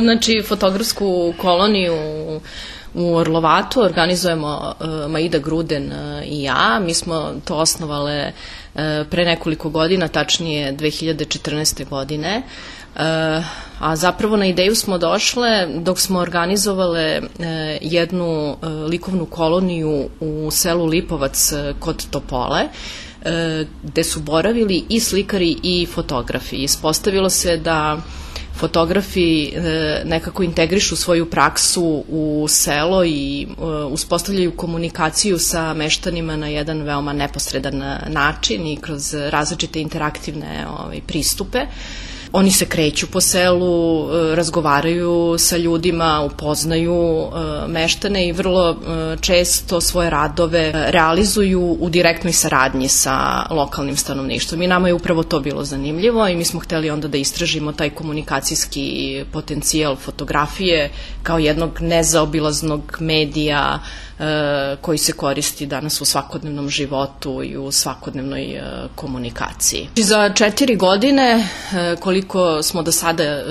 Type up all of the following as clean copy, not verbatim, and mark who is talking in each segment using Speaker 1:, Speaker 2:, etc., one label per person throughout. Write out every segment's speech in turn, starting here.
Speaker 1: Znači, fotografsku koloniju u Orlovatu organizujemo Maida Gruden i ja. Mi smo to osnovale pre nekoliko godina, tačnije 2014. godine. A zapravo na ideju smo došle dok smo organizovale jednu likovnu koloniju u selu Lipovac kod Topole, gde su boravili i slikari i fotografi. Ispostavilo se da fotografi nekako integrišu svoju praksu u selo i uspostavljaju komunikaciju sa meštanima na jedan veoma neposredan način i kroz različite interaktivne pristupe. Oni se kreću po selu, razgovaraju sa ljudima, upoznaju meštane i vrlo često svoje radove realizuju u direktnoj saradnji sa lokalnim stanovništvom. I nama je upravo to bilo zanimljivo i mi smo hteli onda da istražimo taj komunikacijski potencijal fotografije kao jednog nezaobilaznog medija koji se koristi danas u svakodnevnom životu i u svakodnevnoj komunikaciji. Za 4 godine, koliko smo do sada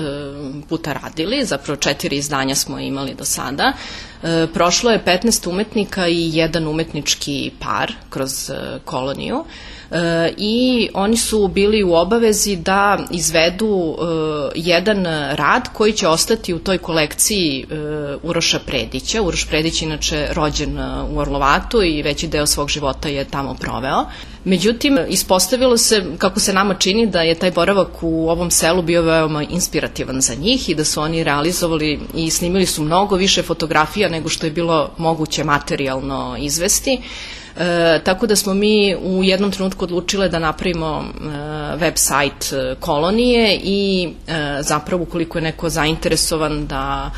Speaker 1: puta radili, zapravo 4 izdanja smo imali do sada, prošlo je 15 umetnika i jedan umetnički par kroz koloniju i oni su bili u obavezi da izvedu jedan rad koji će ostati u toj kolekciji Uroša Predića. Uroš Predić je inače rođen u Orlovatu i veći deo svog života je tamo proveo. Međutim, ispostavilo se, kako se nama čini, da je taj boravak u ovom selu bio veoma inspirativan za njih i da su oni realizovali i snimili su mnogo više fotografija nego što je bilo moguće materijalno izvesti. Tako da smo mi u jednom trenutku odlučile da napravimo web sajt kolonije i zapravo ukoliko je neko zainteresovan da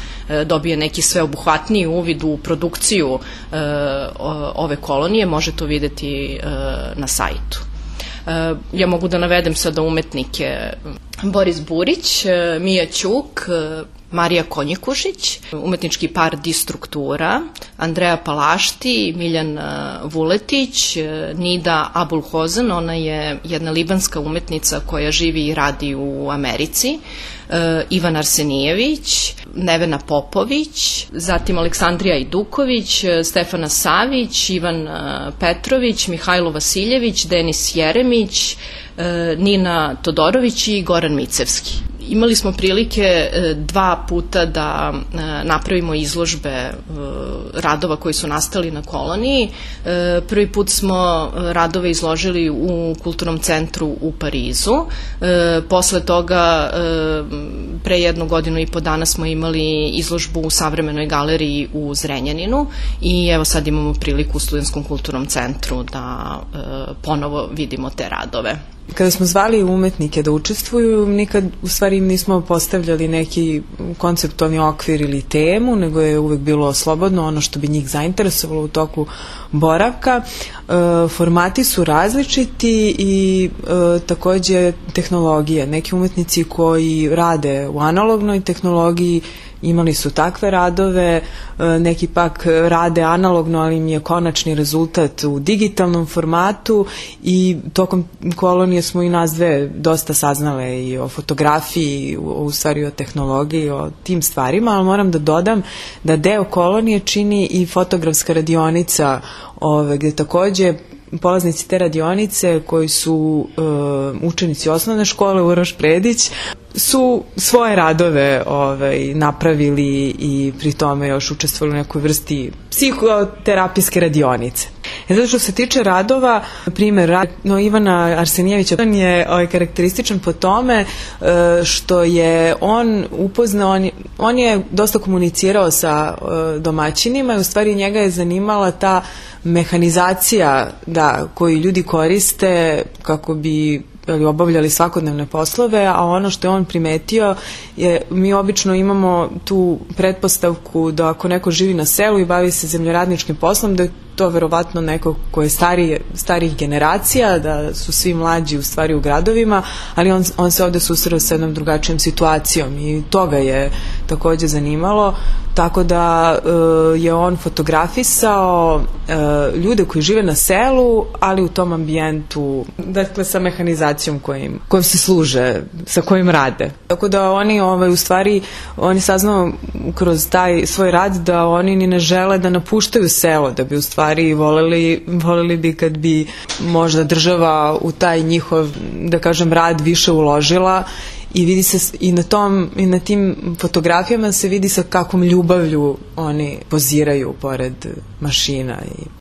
Speaker 1: dobije neki sveobuhvatniji uvid u produkciju ove kolonije, može to videti na sajtu. Ja mogu da navedem sada umetnike: Boris Burić, Mija Ćuk, Marija Konjikušić, umetnički par Distruktura, Andreja Palašti, Miljan Vuletić, Nida Abulhozen, ona je jedna libanska umetnica koja živi i radi u Americi, Ivan Arsenijević, Nevena Popović, zatim Aleksandrija Iduković, Stefana Savić, Ivan Petrović, Mihajlo Vasiljević, Denis Jeremić, Nina Todorović i Goran Micevski. Imali smo prilike 2 puta da napravimo izložbe radova koji su nastali na koloniji. Prvi put smo radove izložili u Kulturnom centru u Parizu. Posle toga, pre 1 godinu i po dana smo imali izložbu u Savremenoj galeriji u Zrenjaninu i evo sad imamo priliku u Studentskom kulturnom centru da ponovo vidimo te radove.
Speaker 2: Kada smo zvali umetnike da učestvuju, nikad u stvari nismo postavljali neki konceptualni okvir ili temu, nego je uvek bilo slobodno ono što bi njih zainteresovalo u toku boravka. Formati su različiti i takođe tehnologije. Neki umetnici koji rade u analognoj tehnologiji imali su takve radove, neki pak rade analogno, ali im je konačni rezultat u digitalnom formatu i tokom kolonije smo i nas dve dosta saznale i o fotografiji, u stvari o tehnologiji, o tim stvarima, ali moram da dodam da deo kolonije čini i fotografska radionica, gde takođe polaznici te radionice koji su učenici osnovne škole Uroš Predić su svoje radove napravili i pri tome još učestvovali u nekoj vrsti psihoterapijske radionice. Zato što se tiče radova, primjer Ivana Arsenijevića je karakterističan po tome što je on upoznao, on je dosta komunicirao sa domaćinima i u stvari njega je zanimala ta mehanizacija koju ljudi koriste kako bi obavljali svakodnevne poslove, a ono što je on primetio je, mi obično imamo tu pretpostavku da ako neko živi na selu i bavi se zemljoradničkim poslom, da to verovatno neko ko je starijih generacija, da su svi mlađi u stvari u gradovima, ali on se ovde susreo sa jednom drugačijom situacijom i to ga je takođe zanimalo, tako da je on fotografisao ljude koji žive na selu, ali u tom ambijentu, dakle sa mehanizacijom kojim se služe, sa kojim rade. Tako da oni u stvari, oni saznao kroz taj svoj rad da oni ni ne žele da napuštaju selo, da bi u stvari voleli bi kad bi možda država u taj njihov, da kažem, rad više uložila i vidi se i na tim fotografijama se vidi sa kakvom ljubavlju oni poziraju pored mašina i